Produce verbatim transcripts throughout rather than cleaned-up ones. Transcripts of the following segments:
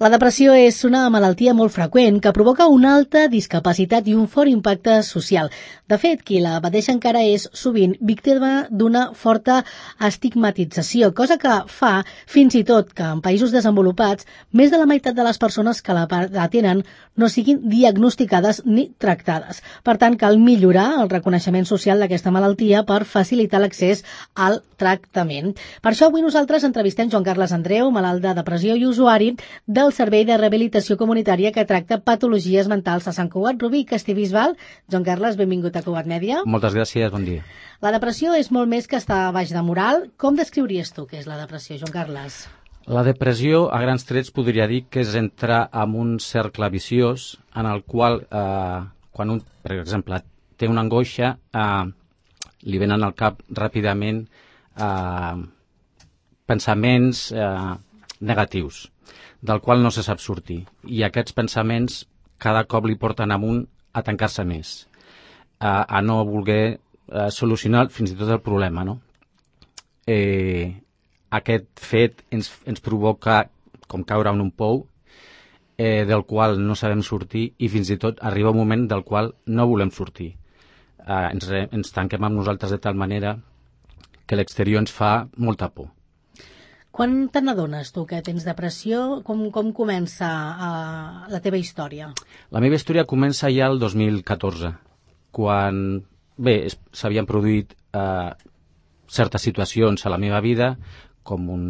La depressió és una malaltia molt freqüent que provoca una alta discapacitat i un fort impacte social. De fet, qui la pateix encara és sovint víctima d'una forta estigmatització, cosa que fa fins i tot que en països desenvolupats més de la meitat de les persones que la tenen no siguin diagnosticades ni tractades. Per tant, cal millorar el reconeixement social d'aquesta malaltia per facilitar l'accés al tractament. Per això avui nosaltres entrevistem Joan Carles Andreu, malalt de depressió i usuari de el Servei de Rehabilitació Comunitària que tracta patologies mentals a Sant Cugat Rubí i Castellbisbal. Joan Carles, benvingut a Cugat Mèdia. Moltes gràcies, bon dia. La depressió és molt més que estar baix de moral. Com descriuries tu què és la depressió, Joan Carles? La depressió, a grans trets, podria dir que és entrar en un cercle viciós en el qual, eh, quan un, per exemple, té una angoixa, eh, li venen al cap ràpidament eh, pensaments eh, negatius, del qual no se sap sortir. I aquests pensaments cada cop li porten amunt a tancar-se més, a, a no voler a solucionar fins i tot el problema, no? Eh, aquest fet ens, ens provoca com caure en un pou eh, del qual no sabem sortir i fins i tot arriba un moment del qual no volem sortir. Eh, ens, ens tanquem amb nosaltres de tal manera que l'exterior ens fa molta por. Quan te n'adones tu que tens depressió? Com, com comença uh, la teva història? La meva història comença ja el dos mil catorze, quan bé, s'havien produït eh, certes situacions a la meva vida, com un,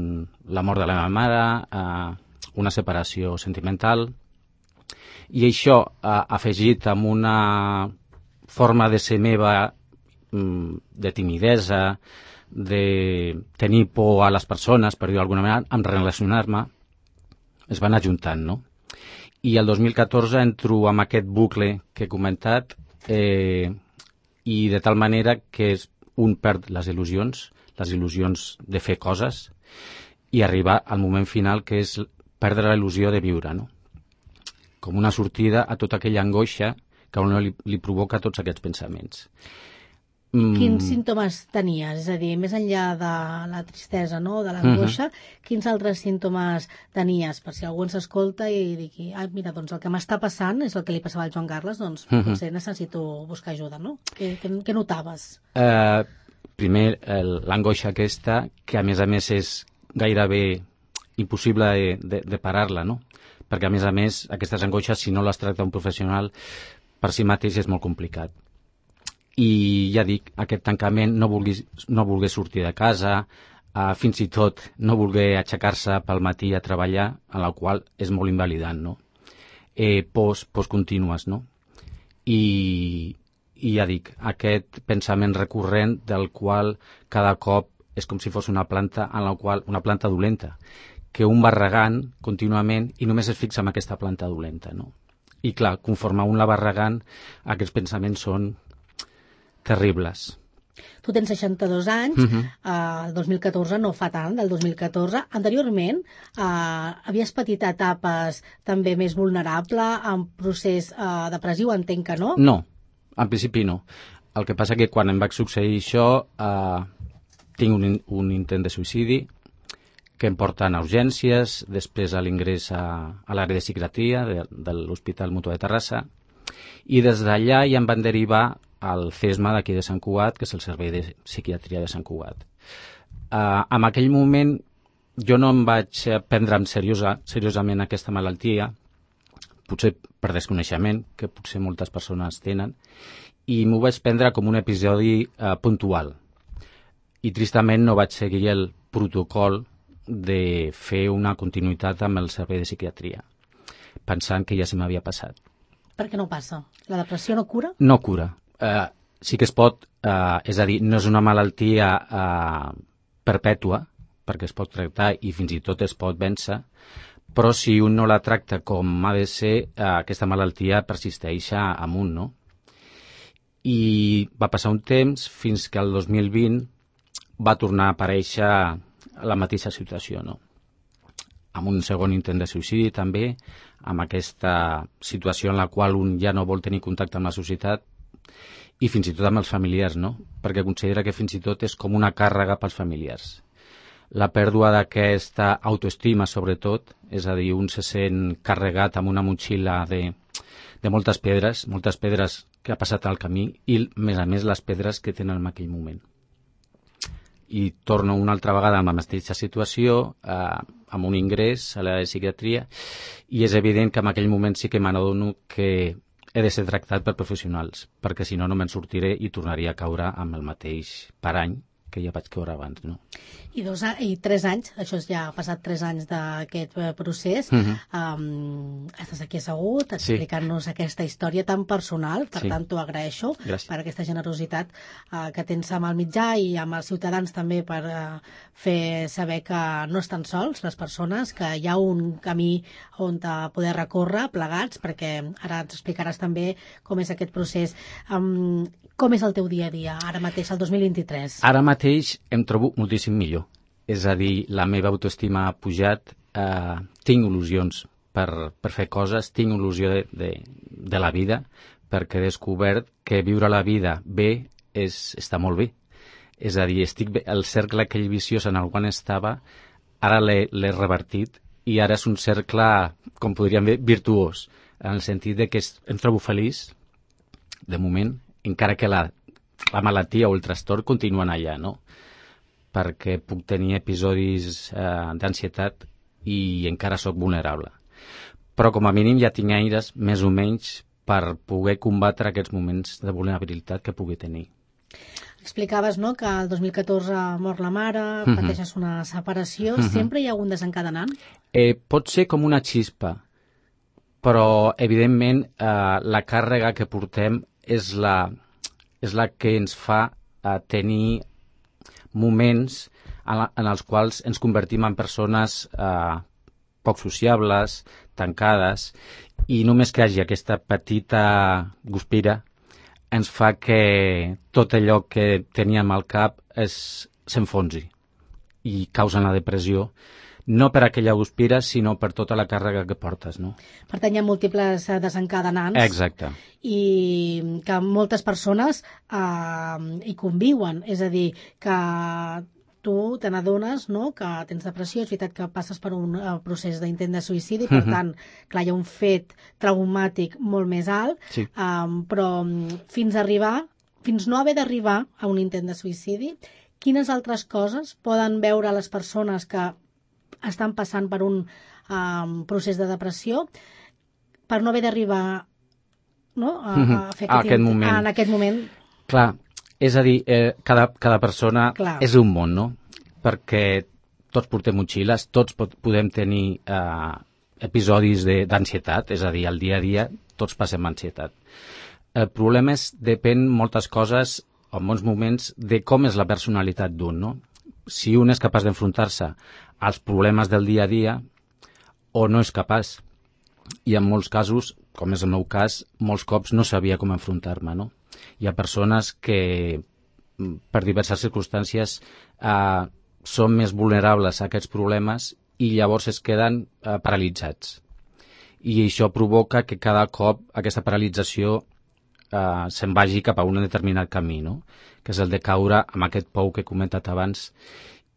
la mort de la meva mare, eh, una separació sentimental, i això eh, afegit amb una forma de ser meva, de timidesa, de tenir por a les persones, per dir d'alguna manera, en relacionar-me, es van ajuntant, no? I el dos mil catorze entro amb aquest bucle que he comentat eh, i de tal manera que un perd les il·lusions, les il·lusions de fer coses i arribar al moment final que és perdre la il·lusió de viure, no? Com una sortida a tota aquella angoixa que a un li, li provoca tots aquests pensaments. Quins símptomes tenies? És a dir, més enllà de la tristesa, no?, de l'angoixa, uh-huh. Quins altres símptomes tenies? Per si algú ens escolta i digui, ah, mira, doncs el que m'està passant és el que li passava al Joan Carles, doncs uh-huh. potser necessito buscar ajuda, no? Què, què, què notaves? Uh, primer, l'angoixa aquesta, que a més a més és gairebé impossible de, de, de parar-la, no? Perquè a més a més, aquestes angoixes, si no les tracta un professional, per si mateix és molt complicat. I ja dic, aquest tancament, no volguer, no volguer sortir de casa, eh, fins i tot no volguer aixecar-se pel matí a treballar, en la qual és molt invalidant, no? Eh, pors, pors contínues, no? I, I ja dic, aquest pensament recurrent del qual cada cop és com si fos una planta en la qual, una planta dolenta, que un va regant contínuament i només es fixa en aquesta planta dolenta, no? I clar, conforme un la va regant, aquests pensaments són terribles. Tu tens seixanta-dos anys, uh-huh. uh, el dos mil catorze no fa tant, del dos mil catorze. Anteriorment, uh, havies patit etapes també més vulnerable, en procés uh, depressiu, entenc que no? No, en principi no. El que passa que quan em va succeir això, uh, tinc un, un intent de suïcidi que em porten a urgències, després a l'ingrés a, a l'àrea de psiquiatria de, de l'Hospital Mutua de Terrassa, i des d'allà ja em van derivar al C E S M A d'aquí de Sant Cugat, que és el Servei de Psiquiatria de Sant Cugat. Uh, en aquell moment jo no em vaig prendre seriosa, seriosament aquesta malaltia, potser per desconeixement, que potser moltes persones tenen, i m'ho vaig prendre com un episodi uh, puntual. I tristament no vaig seguir el protocol de fer una continuïtat amb el Servei de Psiquiatria, pensant que ja se m'havia passat. Per què no passa? La depressió no cura? No cura. Uh, sí que es pot, uh, és a dir, no és una malaltia uh, perpètua, perquè es pot tractar i fins i tot es pot vèncer, però si un no la tracta com ha de ser, uh, aquesta malaltia persisteix amunt, no? I va passar un temps fins que el dos mil vint va tornar a aparèixer la mateixa situació, no? Amb un segon intent de suïcidi també, amb aquesta situació en la qual un ja no vol tenir contacte amb la societat i fins i tot amb els familiars, no? Perquè considera que fins i tot és com una càrrega pels familiars. la pèrdua d'aquesta autoestima, sobretot, és a dir, un se sent carregat amb una motxilla de, de moltes pedres, moltes pedres que ha passat al camí i, a més a més, les pedres que tenen en aquell moment. I torno una altra vegada amb la mateixa situació, eh, amb un ingrés a l'àrea de psiquiatria, i és evident que en aquell moment sí que m'adono que he de ser tractat per professionals, perquè si no, no me'n sortiré i tornaria a caure amb el mateix parany que ja vaig caure abans, no? I, dos, I tres anys, això ja ha passat tres anys d'aquest procés, uh-huh. um, estàs aquí assegut explicant-nos sí. aquesta història tan personal, per sí. tant t'ho agraeixo. Gràcies. Per aquesta generositat uh, que tens amb el mitjà i amb els ciutadans també per uh, fer saber que no estan sols les persones, que hi ha un camí on poder recórrer plegats, perquè ara ens explicaràs també com és aquest procés. Um, com és el teu dia a dia, ara mateix, el dos mil vint-i-tres? Ara mateix em trobo moltíssim millor. És a dir, la meva autoestima ha pujat, eh, tinc il·lusions per, per fer coses, tinc il·lusió de, de, de la vida, perquè he descobert que viure la vida bé és, està molt bé. És a dir, estic bé, el cercle aquell viciós en el qual estava, ara l'he revertit i ara és un cercle, com podríem dir, virtuós, en el sentit de que em trobo feliç, de moment, encara que la, la malaltia o el trastorn continuen allà, no? Perquè puc tenir episodis eh, d'ansietat i encara sóc vulnerable. Però com a mínim ja tinc eines, més o menys, per poder combatre aquests moments de vulnerabilitat que pugui tenir. Explicaves, no?, que el dos mil catorze mor la mare, uh-huh. pateixes una separació. Uh-huh. Sempre hi ha algun desencadenant? Eh, pot ser com una xispa, però, evidentment, eh, la càrrega que portem és la, és la que ens fa eh, tenir moments en, la, en els quals ens convertim en persones eh, poc sociables, tancades, i només que hi hagi aquesta petita guspira ens fa que tot allò que teníem al cap s'enfonsi i causa la depressió, no per aquella guspira, sinó per tota la càrrega que portes, no? Per tant, hi ha múltiples desencadenants. Exacte. I que moltes persones eh, hi conviuen. És a dir, que tu te n'adones, no?, que tens depressió, és veritat que passes per un uh, procés d'intent de suïcidi, per uh-huh. tant, clar, hi ha un fet traumàtic molt més alt, sí. um, però fins a arribar, fins no haver d'arribar a un intent de suïcidi, quines altres coses poden veure les persones que estan passant per un um, procés de depressió per no haver d'arribar, no?, a, a fer a aquest moment. En aquest moment. Clar, és a dir, eh, cada, cada persona Clar. És un món, no? Perquè tots portem motxilles, tots pot, podem tenir eh, episodis d'ansietat, és a dir, al dia a dia tots passem ansietat. El problema és, depèn moltes coses, en molts moments, de com és la personalitat d'un, no? Si un és capaç d'enfrontar-se als problemes del dia a dia o no és capaç. I en molts casos, com és el meu cas, molts cops no sabia com enfrontar-me, no? Hi ha persones que, per diverses circumstàncies, eh, són més vulnerables a aquests problemes i llavors es queden eh, paralitzats. I això provoca que cada cop aquesta paralització eh, se'n vagi cap a un determinat camí, no? Que és el de caure amb aquest pou que he comentat abans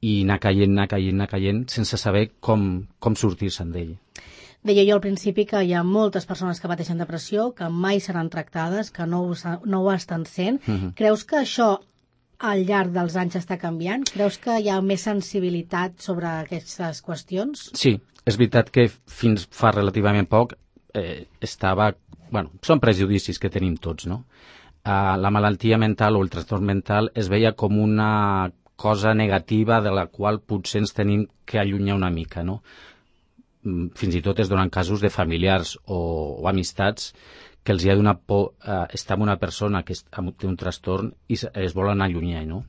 i anar caient, anar caient, anar caient, sense saber com, com sortir-se'n d'ell. Deia jo al principi que hi ha moltes persones que pateixen depressió, que mai seran tractades, que no ho, no ho estan sent. Uh-huh. Creus que això al llarg dels anys està canviant? Creus que hi ha més sensibilitat sobre aquestes qüestions? Sí, és veritat que fins fa relativament poc eh, estava... Bueno, són prejudicis que tenim tots, no? Uh, la malaltia mental o el trastorn mental es veia com una cosa negativa de la qual potser ens tenim que allunyar una mica, no? Fins i tot es donen casos de familiars o, o amistats que els hi ha donat por eh, estar amb una persona que té un trastorn i es volen allunyar, no?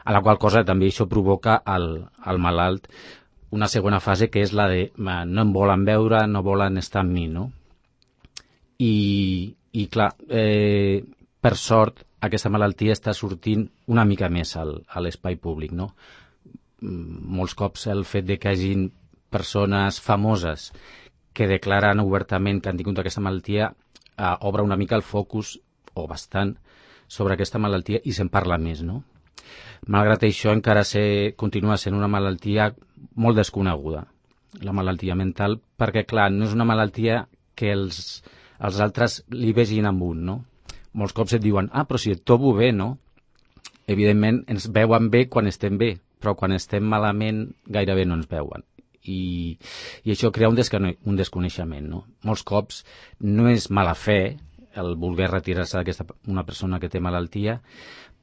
A la qual cosa també això provoca al, al malalt una segona fase que és la de no em volen veure, no volen estar amb mi, no? I, i clar, eh, per sort, aquesta malaltia està sortint una mica més al, a l'espai públic, no? Molts cops el fet de que hagin persones famoses que declaren obertament que han tingut aquesta malaltia eh, obre una mica el focus, o bastant, sobre aquesta malaltia i se'n parla més, no? Malgrat això, encara se, continua sent una malaltia molt desconeguda, la malaltia mental, perquè, clar, no és una malaltia que els, els altres li vegin amb un, no? Molts cops et diuen, ah, però si et trobo bé, no? Evidentment, ens veuen bé quan estem bé, però quan estem malament gairebé no ens veuen. I, i això crea un, descone un desconeixement, no? Molts cops no és mala fe el voler retirar-se d'aquesta una persona que té malaltia,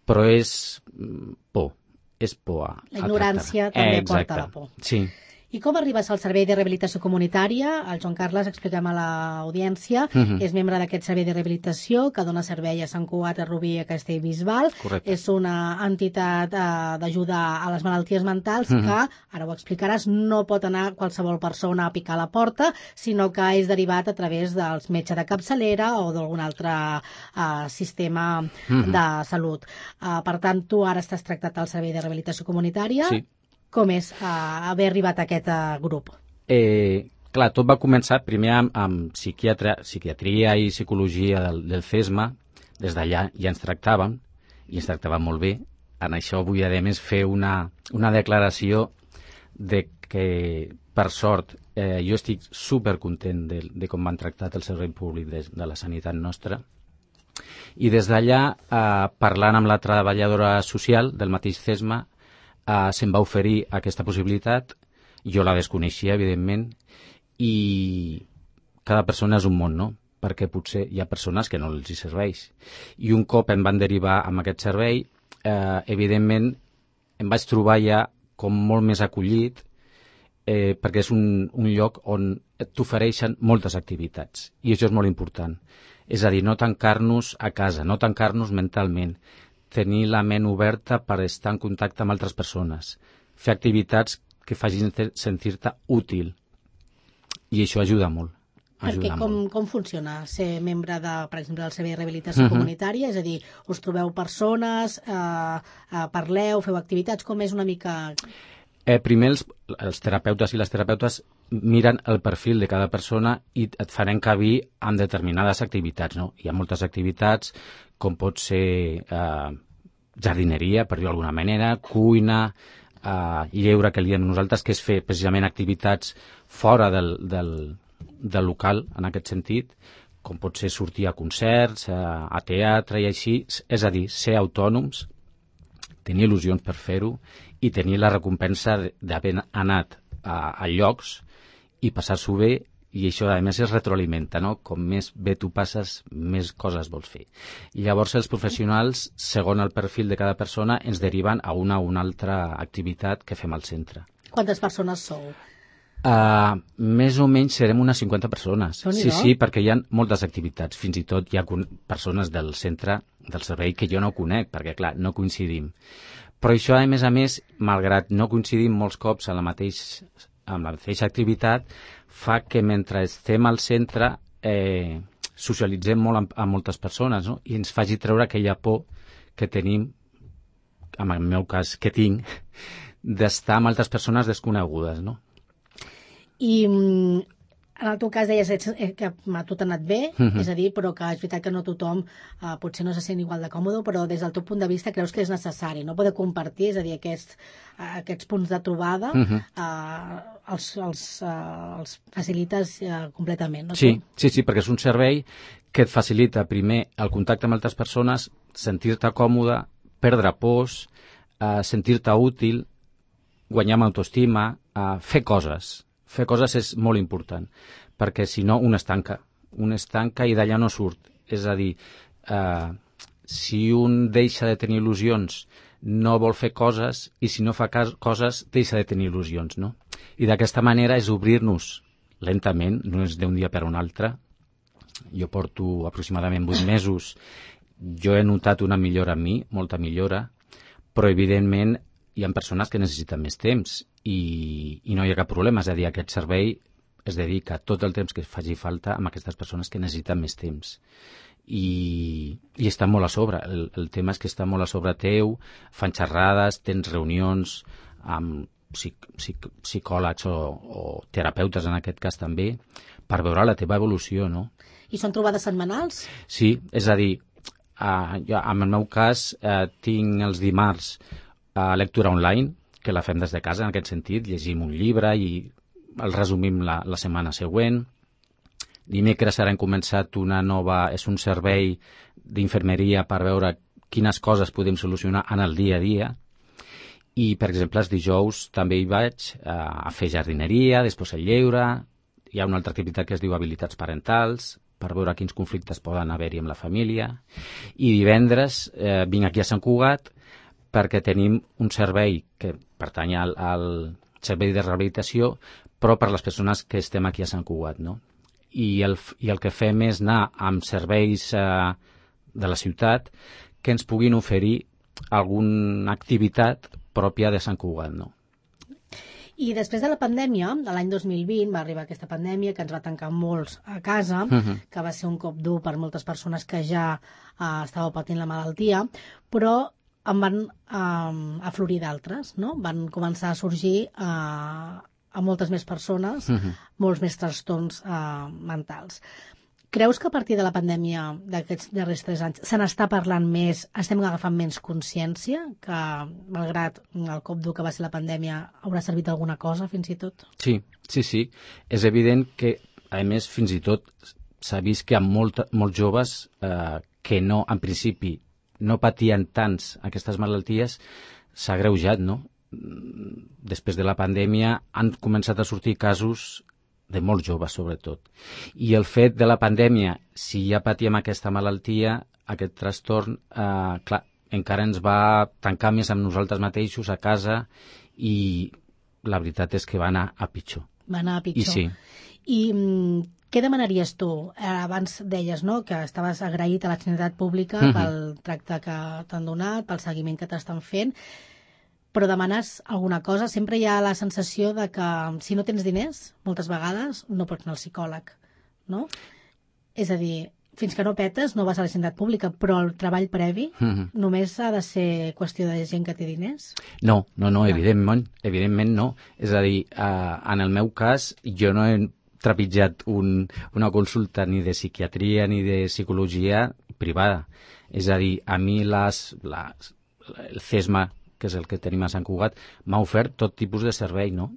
però és por, és por a, la ignorància a també eh, porta la por. Sí. I com arribes al Servei de Rehabilitació Comunitària? El Joan Carles, expliquem a l'audiència, uh -huh. és membre d'aquest Servei de Rehabilitació que dona servei a Sant Cugat, a Rubí i a Castellbisbal. Correcte. És una entitat eh, d'ajuda a les malalties mentals uh -huh. que, ara ho explicaràs, no pot anar qualsevol persona a picar a la porta, sinó que és derivat a través dels metges de capçalera o d'algun altre eh, sistema uh -huh. de salut. Eh, per tant, tu ara estàs tractat al Servei de Rehabilitació Comunitària. Sí. Com és uh, haver arribat a aquest uh, grup? Eh, clar, tot va començar primer amb, amb psiquiatra, psiquiatria i psicologia del, del CESMA. Des d'allà ja ens tractàvem, i ens tractàvem molt bé. En això vull, a més, fer una, una declaració de que, per sort, eh, jo estic supercontent de, de com m'han tractat el servei públic de, de la sanitat nostra. I des d'allà, eh, parlant amb la treballadora social del mateix CESMA, Uh, se'm va oferir aquesta possibilitat, jo la desconeixia, evidentment, i cada persona és un món, no? Perquè potser hi ha persones que no els hi serveix. I un cop em van derivar amb aquest servei, eh, evidentment, em vaig trobar ja com molt més acollit, eh, perquè és un, un lloc on t'ofereixen moltes activitats, i això és molt important. És a dir, no tancar-nos a casa, no tancar-nos mentalment, tenir la ment oberta per estar en contacte amb altres persones, fer activitats que facin sentir-te útil. I això ajuda molt. Ajuda Perquè com, molt. com funciona ser membre, de, per exemple, del Servei de Rehabilitació uh-huh. Comunitària? És a dir, us trobeu persones, eh, eh, parleu, feu activitats, com és una mica... Eh, primer, els, els terapeutes i les terapeutes miren el perfil de cada persona i et fan encabir en determinades activitats, no? Hi ha moltes activitats, com pot ser eh, jardineria, per dir-ho d'alguna manera, cuina, eh, lleure, que li diem nosaltres, que és fer precisament activitats fora del, del, del local, en aquest sentit, com pot ser sortir a concerts, a, a teatre i així, és a dir, ser autònoms, tenir il·lusions per fer-ho i tenir la recompensa d'haver anat a, a llocs i passar-s'ho bé, i això, a més, es retroalimenta, no? Com més bé tu passes, més coses vols fer. I llavors els professionals, segons el perfil de cada persona, ens deriven a una o una altra activitat que fem al centre. Quantes persones sou? Uh, més o menys serem unes cinquanta persones. Déu-n'hi-do. Sí, sí, perquè hi ha moltes activitats. Fins i tot hi ha persones del centre, del servei, que jo no conec, perquè, clar, no coincidim. Però això, a més a més, malgrat no coincidim molts cops en la mateixa, amb la mateixa activitat, fa que mentre estem al centre eh, socialitzem molt amb, amb moltes persones, no? I ens faci treure aquella por que tenim, en el meu cas, que tinc, d'estar amb altres persones desconegudes, no? I en el teu cas deies que a tu t'ha anat bé, uh-huh. és a dir, però que és veritat que no tothom eh, potser no se sent igual de còmode, però des del teu punt de vista creus que és necessari, no? Poder compartir, és a dir, aquests, eh, aquests punts de trobada uh-huh. eh, els, els, eh, els facilites eh, completament, no? Sí, sí, sí, perquè és un servei que et facilita primer el contacte amb altres persones, sentir-te còmode, perdre pors, eh, sentir-te útil, guanyar amb autoestima, eh, fer coses. Fer coses és molt important, perquè si no un es tanca, un es tanca i d'allà no surt. És a dir, eh, si un deixa de tenir il·lusions, no vol fer coses, i si no fa coses, deixa de tenir il·lusions, no? I d'aquesta manera és obrir-nos lentament, no és d'un dia per un altre. Jo porto aproximadament vuit mesos, jo he notat una millora en mi, molta millora, però evidentment hi ha persones que necessiten més temps i, i no hi ha cap problema. És a dir, aquest servei es dedica tot el temps que faci falta amb aquestes persones que necessiten més temps. I, i està molt a sobre. El, el tema és que està molt a sobre teu, fan xerrades, tens reunions amb psic, psic, psicòlegs o, o terapeutes, en aquest cas també, per veure la teva evolució, no? I són trobades setmanals? Sí, és a dir, Uh, jo, en el meu cas, uh, tinc els dimarts uh, lectura online, que la fem des de casa, en aquest sentit, llegim un llibre i el resumim la, la setmana següent. Dimecres ara hem començat una nova... És un servei d'infermeria per veure quines coses podem solucionar en el dia a dia. I, per exemple, els dijous també hi vaig uh, a fer jardineria, després el lleure. Hi ha una altra activitat que es diu habilitats parentals, per veure quins conflictes poden haver-hi amb la família. I divendres eh, vinc aquí a Sant Cugat perquè tenim un servei que pertany al, al servei de rehabilitació, però per les persones que estem aquí a Sant Cugat, no? I el, i el que fem és anar amb serveis eh, de la ciutat que ens puguin oferir alguna activitat pròpia de Sant Cugat, no? I després de la pandèmia, de l'any dos mil vint, va arribar aquesta pandèmia que ens va tancar molts a casa, uh-huh. que va ser un cop dur per moltes persones que ja uh, estàveu patint la malaltia, però en van uh, aflorir d'altres, no? Van començar a sorgir uh, a moltes més persones, uh-huh. molts més trastorns uh, mentals. Creus que a partir de la pandèmia d'aquests darrers tres anys se n'està parlant més, estem agafant menys consciència, que malgrat el cop dur que va ser la pandèmia haurà servit alguna cosa fins i tot? Sí, sí, sí. És evident que, a més, fins i tot s'ha vist que hi ha molt, molts joves eh, que no, en principi, no patien tants aquestes malalties, s'ha agreujat, no? Després de la pandèmia han començat a sortir casos de molt joves, sobretot. I el fet de la pandèmia, si ja patíem aquesta malaltia, aquest trastorn, eh, clar, encara ens va tancar més amb nosaltres mateixos a casa i la veritat és que va anar a pitjor. Va anar a pitjor. I sí. I mm, què demanaries tu? Eh, abans deies, no?, que estaves agraït a la Sanitat Pública mm-hmm. pel tracte que t'han donat, pel seguiment que t'estan fent, però demanes alguna cosa, sempre hi ha la sensació de que si no tens diners, moltes vegades no pots anar al psicòleg, no? És a dir, fins que no petes no vas a la sanitat pública, però el treball previ mm-hmm. només ha de ser qüestió de gent que té diners? No, no, no, evidentment, evidentment no. És a dir, eh, en el meu cas, jo no he trepitjat un, una consulta ni de psiquiatria ni de psicologia privada. És a dir, a mi les, les, el C E S M A, que és el que tenim a Sant Cugat, m'ha ofert tot tipus de servei, no?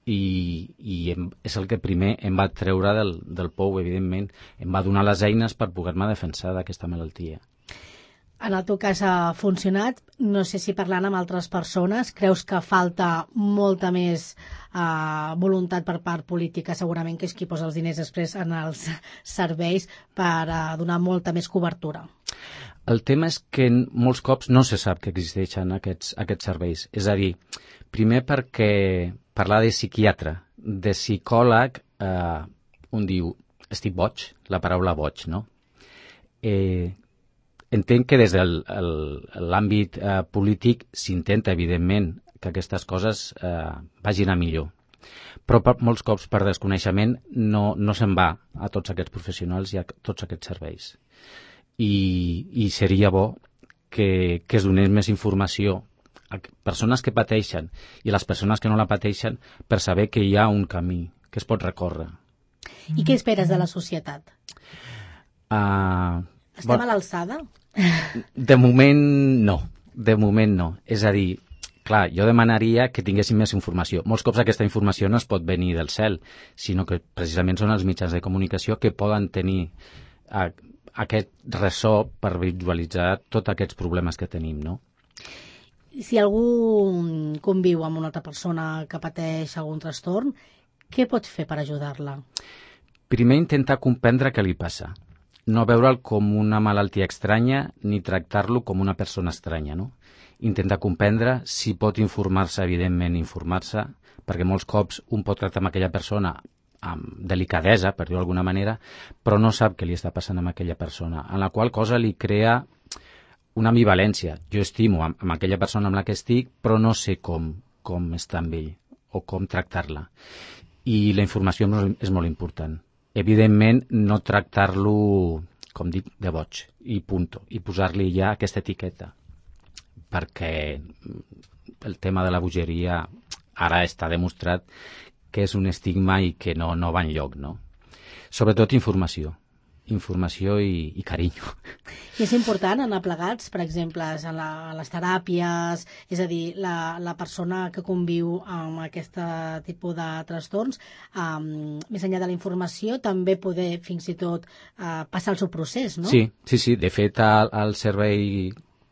I, i em, és el que primer em va treure del, del pou, evidentment. Em va donar les eines per poder-me defensar d'aquesta malaltia. En el teu cas ha funcionat. No sé si parlant amb altres persones creus que falta molta més uh, voluntat per part política, segurament, que és qui posa els diners després en els serveis per uh, donar molta més cobertura. El tema és que molts cops no se sap que existeixen aquests, aquests serveis. És a dir, primer perquè parlar de psiquiatre, de psicòleg, eh, un diu, estic boig, la paraula boig, no? Eh, entenc que des de l'àmbit eh, polític s'intenta, evidentment, que aquestes coses eh, vagin a millor. Però per, molts cops, per desconeixement, no, no se'n va a tots aquests professionals i a tots aquests serveis. I, i seria bo que, que es donés més informació a persones que pateixen i a les persones que no la pateixen per saber que hi ha un camí que es pot recórrer. I què esperes de la societat? Uh, Estem bon, a l'alçada? De moment no, de moment no. És a dir, clar, jo demanaria que tinguéssim més informació. Molts cops aquesta informació no es pot venir del cel, sinó que precisament són els mitjans de comunicació que poden tenir uh, aquest ressò per visualitzar tots aquests problemes que tenim, no? Si algú conviu amb una altra persona que pateix algun trastorn, què pot fer per ajudar-la? Primer, intentar comprendre què li passa. No veure'l com una malaltia estranya ni tractar-lo com una persona estranya, no? Intentar comprendre, si pot informar-se, evidentment informar-se, perquè molts cops un pot tractar amb aquella persona amb delicadesa, per dir-ho d'alguna manera, però no sap què li està passant amb aquella persona, en la qual cosa li crea una ambivalència. Jo estimo amb, amb aquella persona amb la que estic, però no sé com, com està amb ell o com tractar-la. I la informació és molt important. Evidentment, no tractar-lo, com dic, de boig, i punto, i posar-li ja aquesta etiqueta, perquè el tema de la bogeria ara està demostrat que és un estigma i que no, no va enlloc, no? Sobretot informació. informació i, i carinyo. I és important anar plegats, per exemple, en, la, en les teràpies, és a dir, la, la persona que conviu amb aquest tipus de trastorns, um, més enllà de la informació, també poder fins i tot uh, passar el seu procés, no? Sí, sí, sí. De fet, al, al servei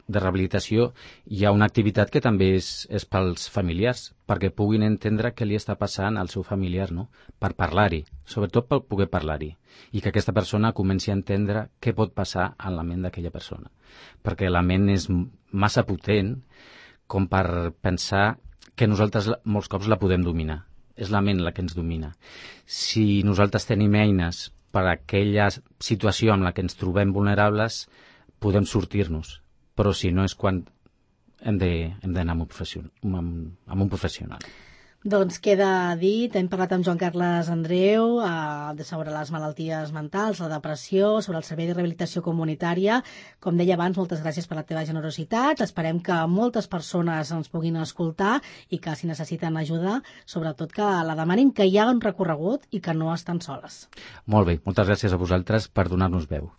de rehabilitació hi ha una activitat que també és, és pels familiars, perquè puguin entendre què li està passant al seu familiar, no? Per parlar-hi, sobretot per poder parlar-hi, i que aquesta persona comenci a entendre què pot passar en la ment d'aquella persona. Perquè la ment és massa potent com per pensar que nosaltres molts cops la podem dominar. És la ment la que ens domina. Si nosaltres tenim eines per a aquella situació en la que ens trobem vulnerables, podem sortir-nos. Però si no és quan hem d'anar amb, amb, amb un professional. Doncs queda dit, hem parlat amb Joan Carles Andreu eh, sobre les malalties mentals, la depressió, sobre el servei de rehabilitació comunitària. Com deia abans, moltes gràcies per la teva generositat. Esperem que moltes persones ens puguin escoltar i que si necessiten ajuda, sobretot que la demanin, que hi ha un recorregut i que no estan soles. Molt bé, moltes gràcies a vosaltres per donar-nos veu.